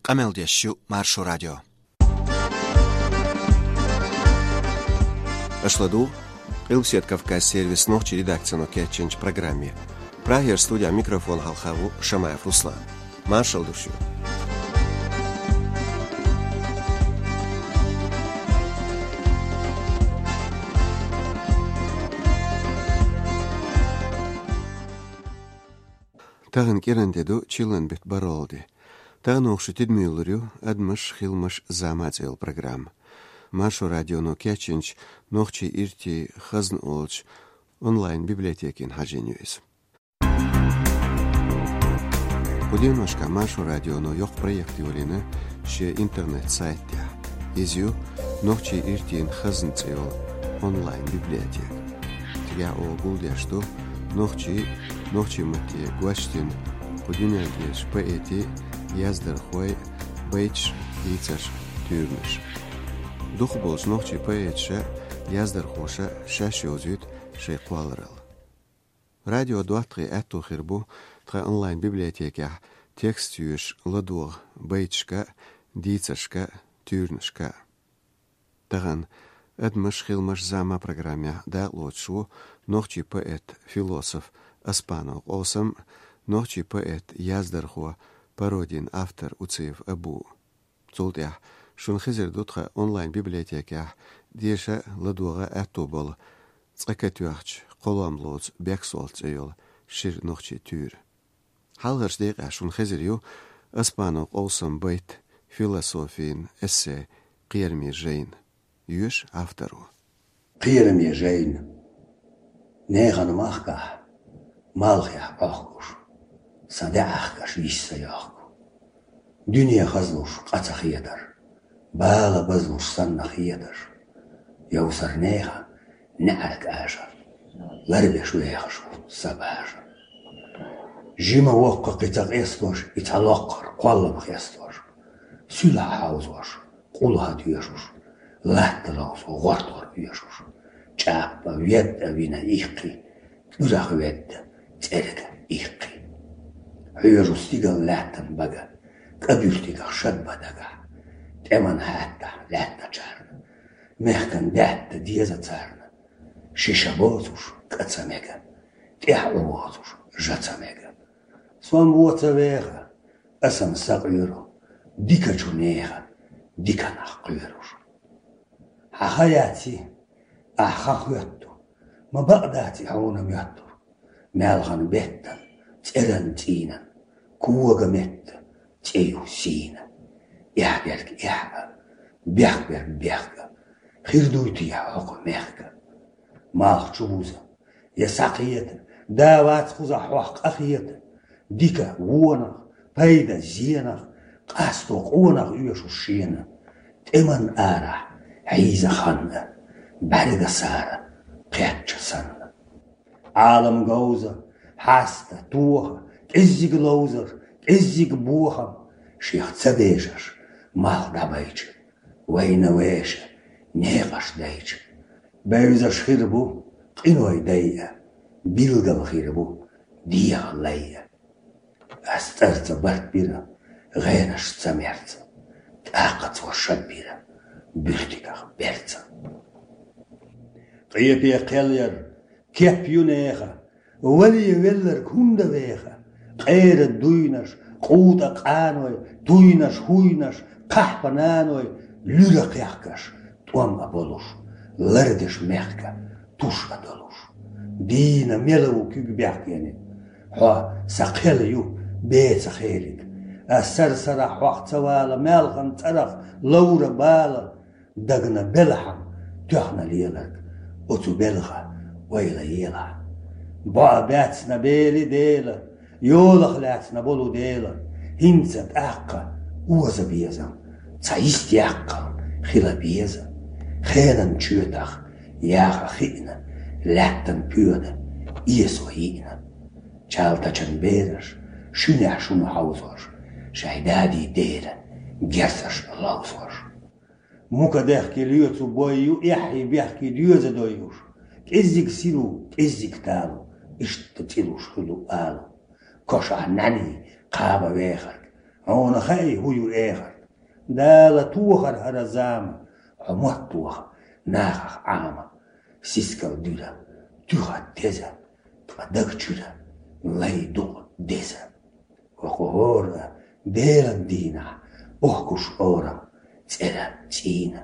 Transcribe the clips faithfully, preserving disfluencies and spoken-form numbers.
Къамел деш ю Маршо радио. Аша ладугӀу Къилбаседа Кавказ сервисан нохчийн редакцино кечйинчу программе. Прагера студин микрофон хьалха ву Шамаев Руслан. Маршалла ду шуьга. Тахана кӀиранде ду, чиллан беттан бархӀалгӀа де. Тахана оха шун тидаме лур ю «Адамаш, хиламаш, зама» цӀе йолу программа. Маршо радионо кечйинчу «Нохчийн иртийн хазна» олучу онлайн-библиотекина хьажийна ю иза. Кху деношкахь Маршо радионо йоккха проект йолийна шен интернет-сайта тӀехь. Иза ю «Нохчийн иртийн хазна» цӀе йолу онлайн-библиотека. Цигахь оха гулдеш ду нохчийн, нохчийн матте гочдина кху дуьнен тӀерачу поэтийн, яздархойн байташ, дийцарш, туьйранаш. Дукхахболчу нохчийн поэташа, яздархоша шаьш йовзуьйту шайн кхолларалла. Радион доттагӀийн аьтто хир бу тхан онлайн-библиотекехь текст йоьшуш ладогӀа байташка, дийцаршка, туьйранашка. Тахана «Адамаш, хиламаш, зама» программехь дакъалоцуш ву нохчийн поэт, философ Оспанов Къовсам, нохчийн поэт, яздархо, пародин автор Уциев Абу. Цул тӀаьхьа шуна хезар ду тхан онлайн-библиотекехь деша, ладогӀа аьтто болу, цкъа катоьхча кхоллам лоцу «Бексолт» цӀе йолу шира нохчийн туьйра. Хьалхарчу декъехь шуна хезар ю Оспанов Къовсаман байт, философин эссе «Кхераме жайна». Йоьшу авторо. Кхераме жайна. Нехан махкахь, малхехь Ӏохкуш, сан даьӀахкаш йиш ца йохку. Дуьне хазлуш къа ца хетар, бала базлуш санна хеташ, йовсар нехан неӀарг аша, ларбеш вехаш ву сан баша. Жима воккха кхин ца къестош, и цхьа локкхара кхоллам хестош, суьлхьа хьовзош, къулхьа доьшуш, латта ловзо гӀортор оьшуш, чӀаппа ведда вина ихкхи, кӀуьрах ведда цӀерга ихкхи. Хьоьжу стигал лаьттан бага, кӀа буьртигах шад ба дагахь, тӀеман хьаьттахь лаьттачарна, мехкан даьтта деза царна, шиша боцуш кӀа ца мега, тӀехь Ӏу воцуш жа ца мега. Со-м вон ца веха, аса-м сакъоьру, дикачу нехан дика нах кхоьруш. Хьан ха яц и, ахь хан хоьтту, ма бакъ дац и хьуна моьттур. Маьлхан беттан, цӀеран цӀийнан, кога метта цӀе ю сийна. Эхь дерг эхь а, бехк берг бехк а, хир дуй те хьо кху мехка? Малх чу буза, я схьакхета, да вац кхузахь хьох къахета. Дика вонах, пайда зенах, къасто къонах оьшуш шена. ТӀеман арахь хьийза хан а, бӀаьрга сара кхетча санна. Ӏалам говза, хьаста, тоха, кӀеззиг ловзар, кӀеззиг бохам, шех ца бежаш, малх дӀабайча, вайна веша, некъаш дайча. Бевзаш хир бу къиной дайа, билггал хир бу дегӀан лайа. Ас цӀарца барт бира, гӀенаш ца мерца, тӀаккха цо шад бира буьртигах берца. Къепе кхел яр, кеп ю нехан, вале велларг хӀунда веха? Къера дуйнаш, къутӀа къаной, туйнаш, хӀуйнаш, кхахьпа наной, луьра кхехкаш, тӀом а болуш, лардеш мехка, туш а долуш. Дийна мела ву куьг бехкениг, хьо сан кхел ю, беца хелиг. Ас сара-сарахь хьох ца вала, маьлхан цӀарах ловра бала. Дагна белахьама тоьхна леларг, оцу белха ойла елахь. БоӀ баьцна бели Дела, йолах лаьцна болу Дела, хӀинца тӀаккха оза безам, цхьа йист яккхал хила беза. Хенан чоьтах яха хиъна, лаьттан поьда эсо йиъна. Чалтачан бераш шуьнехь шуна хьовзош, шайн дади дера герзаш ловзош. Мука дехке лоьцу бой ю, эххий бехке доьза дойуш. КӀеззиг сиру, кӀеззиг талу, иштта цӀилуш хуьлу алу. Кошахь нӀаьний кхаба вехарг, Хьуна хаьий, хӀун ю эхарт? Дала тохар хӀара зама, хьо мотт тоха нахах Ӏама. Сискал дуьра, туьха теза, ткъа даг чуьра, лай дукъ деза. ХӀокху хӀора Делан дийнахь бохкуш орам цӀера цӀийна.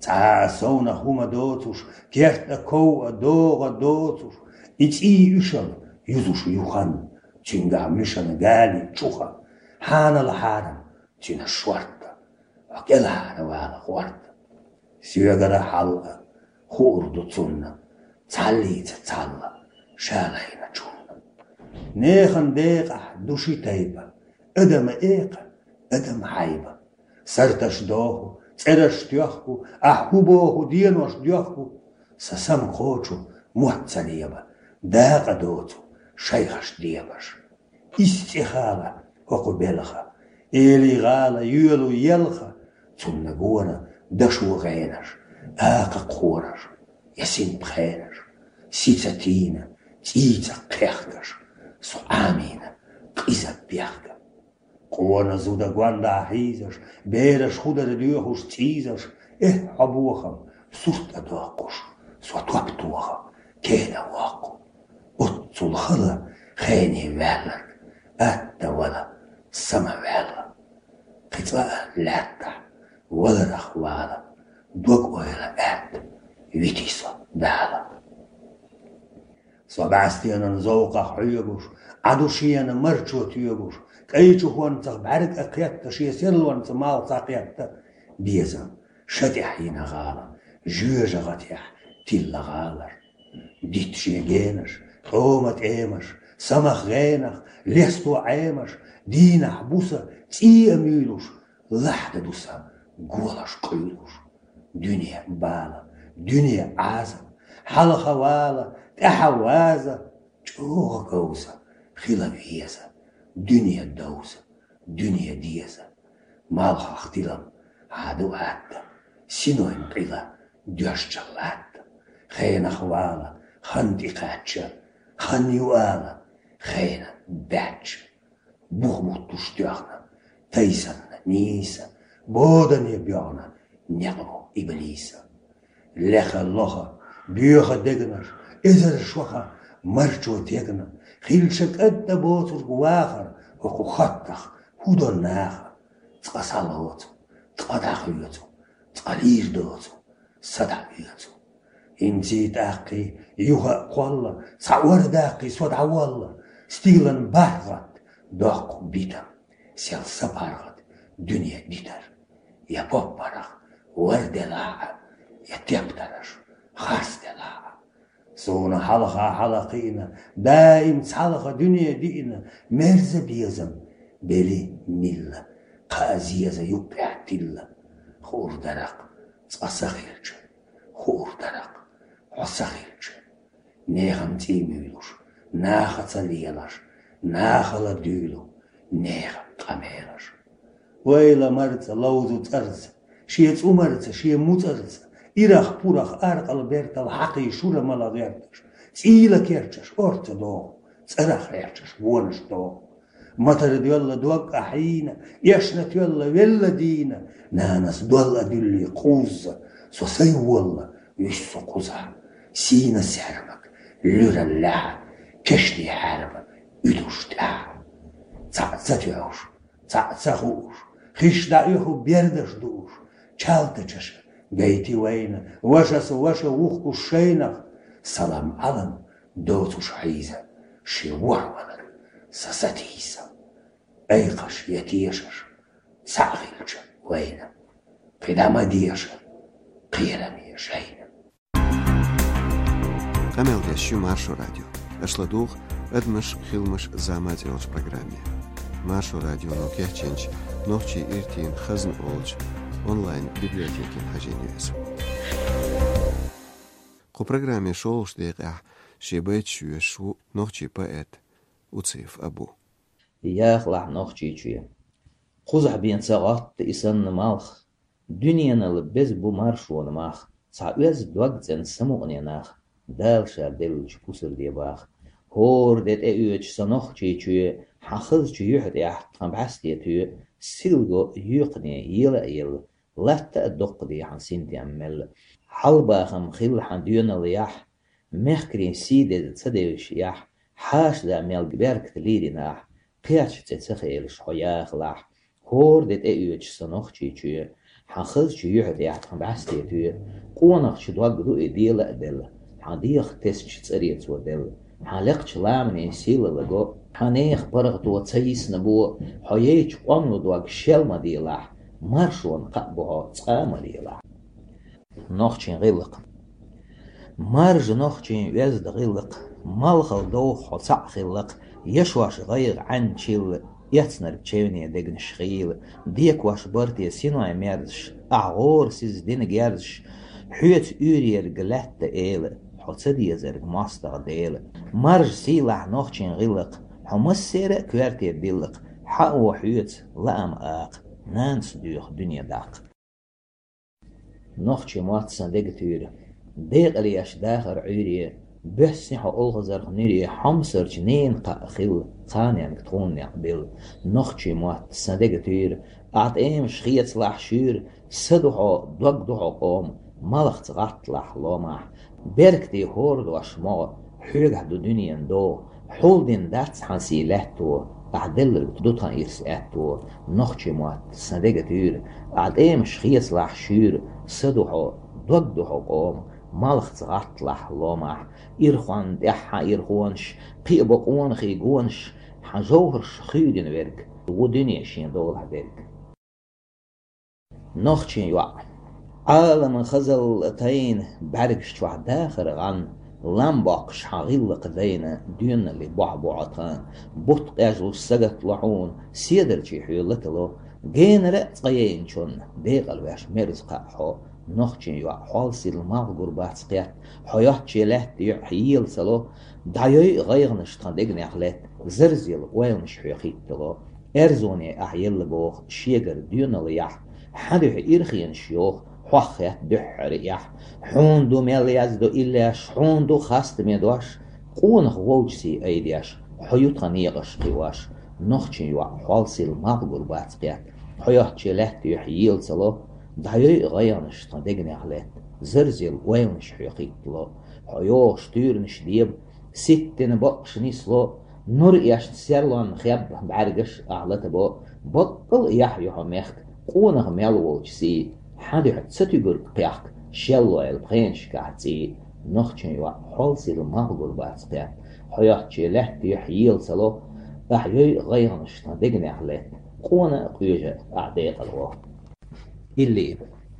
Цхьа а совнах хӀума доцуш, керта ков а догӀа доцуш, и цӀий уьшал юзуш ю хан, цуьнгахь муьшан гали чуха, хьанал хьарам цуьнан шорта, хьо кӀелхьара вала гӀорта. Соьгара хьал а хуур ду цунна, цхьаллица цхьалла, шалайначунна. Нехан декъахь ду ши тайпа, адам экха, адам хьайба. Сарташ доху, цӀераш тоьхку, ахь хӀу боху, денош доьхку. Сан сам кхочу мотт ца леба, дакъа доцу шайхаш дебаш. Исс цӀе хала хӀокху белха, эли гӀала йоьлу елха, цунна гора дашо гӀенаш, акха кхораш, я синпхенаш, сица тийна, цӀийца кхехкаш, со Ӏамийна къиза бехка. Къона зуда гондахь хьийзаш, бераш хӀу дара доьхуш цӀийзаш, эхь, хьо бохам, сурт а доккхуш, со топ тохам, кена воккху. Оццул хала хене ваьлларг, атта вала, сама ваьлла. Кхин цкъа а лаьттахь валарах вала, дог ойла аьтта, вити со Дала. Со бӀаьстенан зовкъах хьоьгуш, Ӏа ду шена марчо тоьгуш, кӀайчу хӀонцах бӀаьрг а кхетта, шен серлонца малх ца кхетта, безам ша тӀехь йина гӀала, жоьжа гӀатехь тилла гӀалар. Дитт шен генаш, тӀома тӀемаш, самах гӀенах, лесто Ӏемаш, дийнахь буса цӀий а муьйлуш, лахьда ду сан голаш къуьйлуш. Дуьне бала, дуьне Ӏаза, хьалха вала, тӀаьхьа ваза, чӀогӀа говза, хила веза, дуьне довза, дуьне деза. Малхах тилам хьаду атта, синойн къила доьшча латта. Хенах вала, хан тӀекхаьчча, хан ю ала, хена баьчча. Бух буттуш тоьхна тайсанна нийса, бодане боьгӀна некъ бу иблиса. Леха лоха, боьха дегнаш, эзар шоха марчо тегна, хилча кӀадда боцург вахар, хӀокху хаттах хӀу до наха? Цкъа схьалоцу, цкъа дӀахоьцу, цкъа лийр доцу, са дӀаоьцу. ХӀинций тӀаккхий юха а кхолла, цхьа ор даккхий со дӀаволла, стиглан бархӀ гӀатта доккху битам, сел са паргӀат дуьне дитар. Я поппарах вар делахь а, я тептараш харц делахь а. Суна хьалха хьала кхиъна, даим цхьалха дуьне диъна, мерза безам, бели милла, кхаа зеза юккъехь тилла. Хуур даракъ цкъа са хилча, хуур даракъ хьо са хилча. Нехан цӀий муьйлуш, нахаца лелаш, нахала дуьйлу нехан къамелаш. Вайла марца ловзу цӀарца, шен цӀумарца, шен муцӀарца, ирах-пурах аркъал-бертал хьакхий шура мала гӀерташ, цӀийла керчаш орца доху, цӀарах хьерчаш вонаш доху. Матара доьлла дог а хьийна, эшна тоьлла велла дийна, нанас долла дуьллий кхузза, со сайн волла, вуьсу со кхузахь, сийна саьрмак, луьра лаьхьа, кешний хьаьрба уьдуш тӀаьхьа. Цхьаъ ца тоьхуш, цхьаъ ца хууш, хиш дӀаоьху бердаш дууш, чалтачаша гайти вайна, вашас ваша вухкуш шайнах, салам-Ӏалам доцуш хьийза, шен ворхӀ валар са сатийса. Айкхаш я тешаш цхьаъ хилча вайна, кхидӀа ма деша кхераме шайна. Къамел деш ю Маршо радио. Аша ладугӀу «Адамаш, хиламаш, зама» цӀе йолчу программе. Маршо радионо кечйинчу «Нохчийн иртийн хазна» олучу онлайн-библиотекина хьажийна ю иза. Кху программе шолгӀачу декъехь шен байташ йоьшуш ву нохчийн поэт Уциев Абу. Яхалахь Нохчийчоь. Кхузахь бен ца гӀотта и санна малх, дуьненал беза бу маршонан мах, цхьа оьзда дог цӀена самукъане нах, Дала Ша деллачу пусар де баха. ХӀора де тӀеоьцуш сан Нохчийчоь, хьан хазачу юьхь тӀехь тхан бӀаьсте тоь, силго юкъане ела а елла, латта а доккха дехьа синтем мелла. Хьалбахам хилла хьан доьналла яхь, мехкарийн сий деза ца девзаш яхь, хьаша да мел беркат лийрина ахь, кхерча цӀе ца хелаш хьо яхалахь. ХӀора де тӀеоьцуш са нохчий чоь, хьан хазачу юьхьа тӀехь тхан бӀаьсте тоь, къонахчу дог ду и дела а делла, хьан дегӀах тесачу цӀаре цо делла. Хьан лекхачу ламанийн сийлалла го, хьан нехан паргӀато ца йисна бо, хьо яйчу къоман дог шел ма делахь, маршонна кхаъ бу хьо, цкъа а ма лелахь. Нохчийн гӀиллакх. Маржа нохчийн оьзда гӀиллакх, малхал довха хьо цхьаъ хиллакх, ешош гӀайгӀа Ӏаьнна чилла, эцнарг чевне дегнаш хийла, декош барте синой мерзаш, ахь гӀора сиза дина герзаш, хьоьца уьйрерг лаьтта эла, хьо ца дезарг мостагӀа дела. Маржа сийлахь нохчийн гӀиллакх, хьо массера а коьрте диллакх, хьао хьоьца лаам акха, нанас доьху дуьне даккха. Нохчийн мотт сан дега туьйра, декъала еш дахар Ӏуьйре, боьссина хьо олхазарх нуьре, хьомсарчу ненан кхаъ хилла, кханенга тхуна некъ билла. Нохчийн мотт сан дега туьйра, ахь тӀемаш хецалахь шуьйра, са ду хьо, дог ду хьо къома, малхца гӀатталахь ломахь. Беркате хӀора дош могӀа, хьоьгахь ду дуьненан догӀа, хьулдина дац хьан сий лаьтто, ахь делларг ду тхан ирс аьтто. Нохчийн мотт сан дега туьйра, ахь тӀемаш хецалахь шуьйра, са ду хьо, дог ду хьо къома, малхца гӀатталахь ломахь. Ирхонна тӀехь хьан ирхонаш, кхиа бо къонахий гонаш, хьан жовхӀарш хуьйдина верг, ву дуьне шен долахь дерг. Нохчийн йоӀ. Ӏаламан хазалла тайна, бӀаьргаш чохь дахар гӀан, лам боккхуш хьан гӀиллакх дайна, доьналли бохь бу Ӏа тхан. Бутт къежлуш сагатдало хьуна, седарчий хьоь латало, генара а цкъа яйначунна декъала веш мерза кхаъ хьо. Нохчийн йоӀ, хьол сирла малх гур бац кхетта, хьо йоцче лаьтта юьхь ела ца ло, дӀайойу гӀайгӀанаш тхан дегнех летта, зарзелла ойланаш хьоь хӀиттало. Эрзоне ахь елла боху шегара доьналла яхь, хьан дуьхьа ирхенаш йоху, хьох хетта дуьххьара эхь. Хьуна ду мел яздо иллеш, хьуна ду хастаме дош, къонах волчу сий айдеш, хьо ю тхан некъаш кхиош. Нохчийн йоӀ, хьол сирла малх гур бац кхетта, хьо йоцче лаьтта юьхь ела ца ло, дӀайойу гӀайгӀанаш тхан дегнех летта, зарзелла ойланаш хьоь хӀиттало. Хьо йогӀуш туьйранаш деба, ситтина бакъаш нисло, нур эшна серлонна хеб бӀаьргаш ахь латабо, баккъал а яхь ю хьо мехка, къонах мел волчу сий, хьан дуьхьа ца туьгург кхехка, шеллойла пхенашкахь цӀий. Нохчийн йоӀ, хьол сирла малх гур бац кхетта, хьо йоцче лаьтта юьхь ела ца ло, ахь йойу гӀайгӀанаш тхан дегнех летта, къона а къоьжа ахь декъала гӀо. Илли.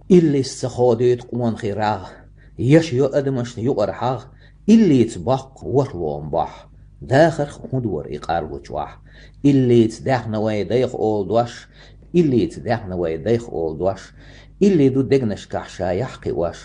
Иллица ца ходуьйту къонахий рагӀ, яш йо адамашна юкъара хьагӀ, иллица боккху ворхӀ лома бохь. Дахарх хӀун дора и къарлучохь? Иллица даьхна вай дайх олу дош, иллица даьхна вай дайх олу дош, илли ду дегнашкахь ша яхь кхиош.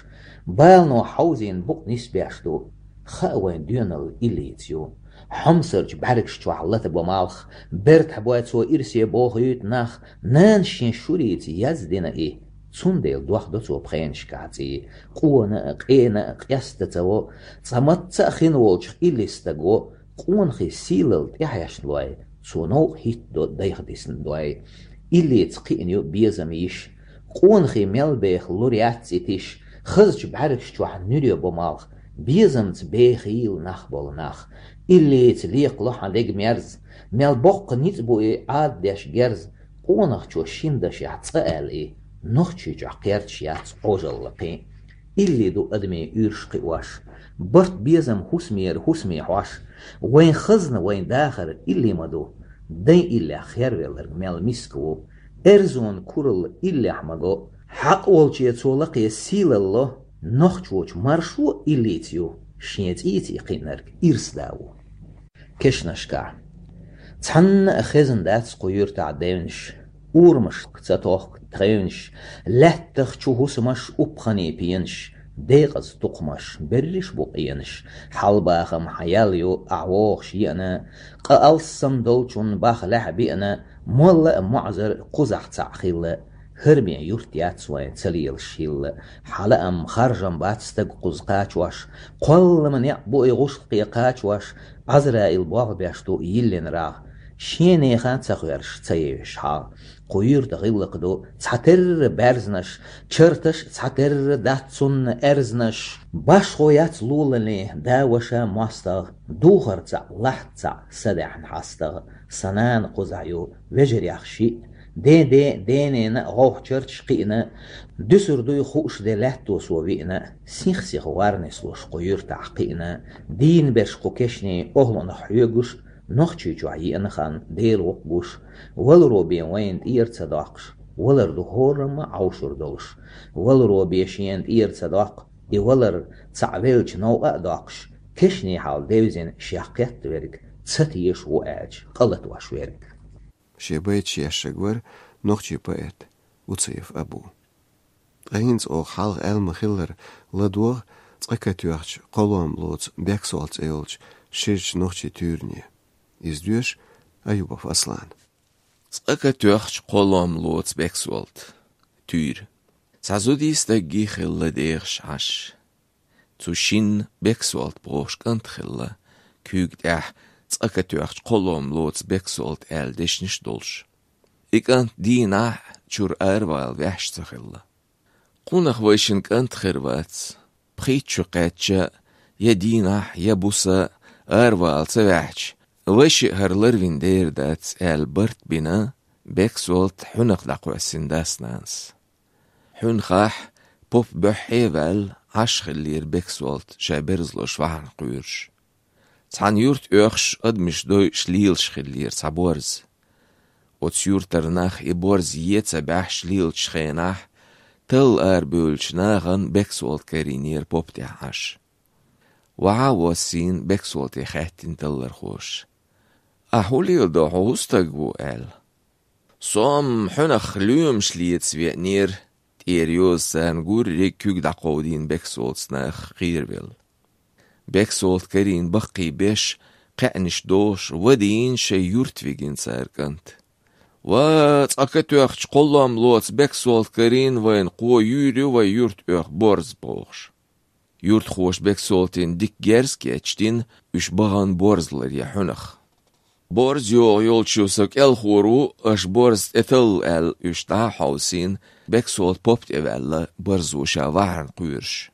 Балано хьовзийна букъ нисбеш ду, хаа вайн доьналла иллица ю. Хьомсарчу бӀаьргаш чохь латабо малх, бертахь бой цо ирсе бохуьйту нах, нанас шен шурица яздина и, цундела дохдо цо пхенашкахь цӀий. Къона а, къена а къеста ца во, цкъа матца а хин волчух иллис стаг во, къонахий сийлалла тӀехьешна лой, цо новкъа хӀиттадо дайх дисна дой. Иллица кхиъна ю безам йиш, къонахий мел беха лур яц и тиш, хазачу бӀаьргаш чохь нуьре бо малх, безамца бехийла нах болу нах. Иллица лекхало хьан дега мерза, мел боккха ницкъ бу и Ӏаддеш герза, къонахчо шина дашехь цкъа аьлла и, нохчий чохь кхерчаш яц Ӏожалла кхин. Илли ду адамийн уьйраш кхиош, барт безам хӀусамера хӀусаме хьош, вайн хазна, вайн дахар илли ма ду, дайн иллех хервелларг мел миска ву, эрзонан куралла иллех ма го, хьакъ волче цо лакхе сийлалло, нохчочу маршо иллица ю, шен цӀийца и кхиънарг ирс да ву. Кешнашкахь. Цхьанна а хезна дац кху юьртахь девнаш, урамашка ца тохку тхевнаш, лаьттах чу хӀусамаш, упханийн пенаш, декъаза тукхамаш, берриш бу къенаш, хьалбахам хьан ял ю, ахь вогӀуш еана, къа алссам долчун бах лаьхьа биъна, молла а моӀзар кхузахь цхьаъ хилла, хӀара бен юрт яц вайн ца лелаш хилла, хьан лаам харжам бац стаг кхуза кхачош, кхоллама некъ бу и гӀушлакхе кхачош, Ӏазраил болх беш ду йиллина рагӀ, шен нехан ца хоьржуш ца евзаш хьагӀ. Кху юьрта гӀиллакх ду цхьатерра баьрзнаш, чарташ цхьатерра дац цунна аьрзнаш. Башхо яц лулале да-ваша моастагӀа, духар цхьаъ, лахьт цхьаъ са даьхьна хьастагӀа. Сан нана кхузахь ю, вежарех шиъ. Ден-ден, ден-ненан гӀовхьчарташ кхиъна, дуьсур дуй хууш де лаьтто со виъна, сих-сиха вар нислуш кху юьртахь кхиъна. Дийна берш кху кешнийн охӀланах хьоьгуш, Нохчийчохь еана хан Дела воккха гуш, валаро бен вайна тӀера ца доккхуш, валар ду хӀорамма Ӏовшур долуш. Валаро бен шена тӀера ца доккху, и валар цхьаъ велча новкъа а доккхуш, кешнийн хьал девзина шех кхетта верг, ца теша ву аьлча, къа латош верг. Шен байташ ешшаг вара нохчийн поэт Уцаев Абу. Ткъа хӀинца оха хьалха аьлла ма-хиллара, ладогӀа «Цкъа катоьхча кхоллам лоцу Бексолта» цӀе йолчу ширачу нохчийн туьйране. Иза доьшу Аюбов Аслана. «Цкъа катоьхча кхоллам лоцу Бексолта». Туьйра. Цхьа зудий стаггий хилла дехаш Ӏаш. Цу шинна Бексолта бохуш кӀант хилла, куьйга тӀехь «Цкъа катоьхча кхоллам лоцу Бексолта» аьлла дешнаш а долуш. И кӀант дийнахь а чуьра аравала ваьхьаш ца хилла. «Кхунах вайшинна кӀант хир вац. Пхийтта шо кхаьчча, я дийнахь, я буса аравала ца ваьхьча, вай шиъ хӀара ларвина дер дац», — аьлла барт бина Бексолта хьуьнах дӀакхоьссина дас-нанас. Хьуьнхахь, поп буьххье а ваьлла, Ӏаш хиллера Бексолта, ша берзалош вахьана кхоьруш. Цхьана юрта оьхуш, адамаш дойуш лелаш хиллера цхьа борз. Оцу юьртара нах и борз е ца баьхьаш лелачу хенахь, талла арабевллачу нахана Бексолта карийнера поп тӀехь Ӏаш. Вахьа а воссийна, Бексолте хаьттина таллархоша: «Ахь хӀун леладо, хьо хӀун стаг ву?» — аьлла. «Со-м хьуьнах лоьмаш леца веанера», — тӀера йоза царна гурриг куьг дӀакховдийна Бексолтас наха кхеравелла. Бексолта карийна баккхий беш, кхаьънаш дохуш, вадийна шайн юрта вигина цара кӀант. «Ва, цкъа катоьхча кхоллам лоцу Бексолта карийна вайна, кхо юьйр ю вай юрта оьху борз», — бохуш. Юьртахоша Бексолтина дика герз а кечдина, уьш бахана борз ларъян хьуьнах. «Борз йогӀу йолчу со кӀелхор ву, аша борз тӀеталла», — аьлла, уьш дӀа а хьовсийна, Бексолта поп тӀе ваьлла, барзо ша вахьана кхоьруш.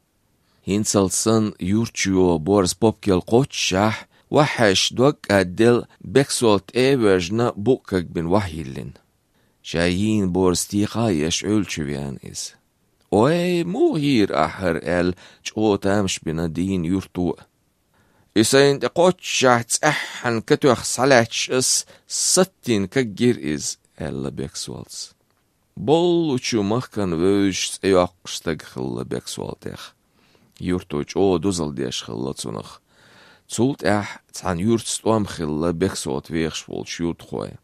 ХӀинцалц санна юрт чу йогӀу борз поп кел кхоччушехь, вахьаьжча дог кӀадделла, Бексолта тӀе а воьжна, букъ кагбина вахьайиллина. Ша йийна борз тӀекха а еш, Ӏуьллу чу веана иза. «Ой, муха йийра ахь хӀара?» — аьлла, чӀогӀа тамаш бина дийна юрто а. «И сайна тӀе кхоччушехь цӀеххьана катоьхна схьалаьтташ ас, саттийна кагйира иза», — аьлла Бексолтас. Боллучу махкана вевзаш цӀе йоккхуш стаг хилла Бексолтех. Юрто чӀогӀа дозалла деш хилла цунах. Цул тӀаьхьа цхьана юьртаца тӀом хилла Бексолта вехаш волчу юьртахойн.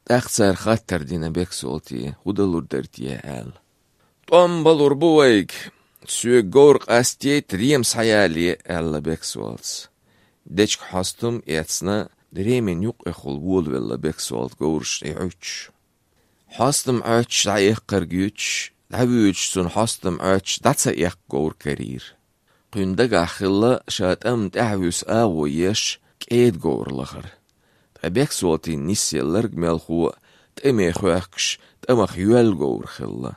ТӀаккха цара хаттар дина Бексолте, хӀун далур дара те аьлла. «ТӀом балур бу вайга. Соьга говр къастийта, рема схьаялае», — аьлла Бексолтас. Дечиг хьостам а эцна, ремина юккъехула волавелла Бексолта говраш тӀе Ӏуьттуш. Хьостам Ӏоьттуш дӀаэккхарг юьтуш, дӀавуьйцуш цунна хьостам Ӏоьттуш дӀа ца эккха говр карийра. Кхуьнан дагахь хилла ша тӀамна тӀаьхьа вуьсу агӀо еш, кӀеда говр лахар. Ткъа Бексолтина нисъелларг мелхо а, тӀаме хоьхкуш, тӀамах йоьлла говр хилла.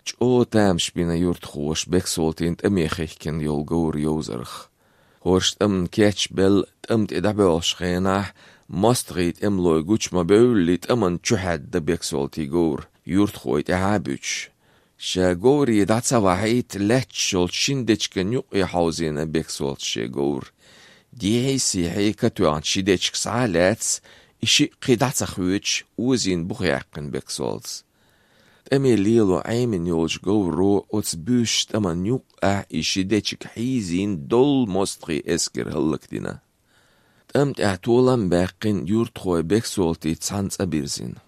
ЧӀогӀа тамаш бина юртахоша Бексолтина тӀаме хихкина йолу говр йовзарх. ХӀорш тӀамна кечбелла, тӀам тӀе дӀабоьлхучу хенахь, мостагӀий тӀемалой гучу ма-бевлли, тӀамна чу хьаьдда Бексолтин говр, юртахой тӀаьхьа а буьтуш. Ша говре дӀа ца вахьийта, лаьтташ йолчу шина дечиган юккъе хьовзийна Бексолтас шен говр. Дехьий-сехьий катоьхна ши дечиг схьа а лаьцна, и шиъ кхин дӀа ца хоьдуш, озийна буха яьккхина Бексолтас. ТӀаме лело Ӏемина йолчу говро оцу буьйсачу тӀаман юккъехь и ши дечиг хьийзийна, доллу мостагӀийн эскар хӀаллакдина. ТӀам тӀехь толам а баьккхина, юртахой Бексолтица цхьаьна цӀа бирзина.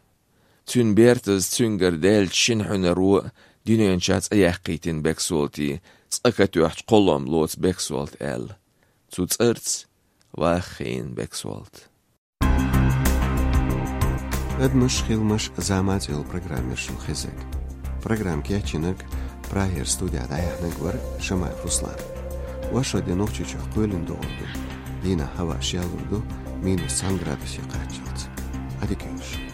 Цуьнан бертаза цуьнгара даьллачу шина хьуьнаро дуьнен чохь цӀе яьккхийтина Бексолтин, «Цкъа катоьхча кхоллам лоцу Бексолта» аьлла. Цу цӀарца ваха хиина Бексолта. «Адамаш, хиламаш, зама» цӀе йолу программа яра шуна хезнарг. Программа кечйинарг, Прагера студехь дӀаяьхьнарг вара Шамаев Руслан. Вайшинна де Нохчийчохь кхоьлина догӀур ду. Дийнахь хӀаваъ шелалур ду, минус цхьана градусе кхаччалц. Ӏадика йойла шун.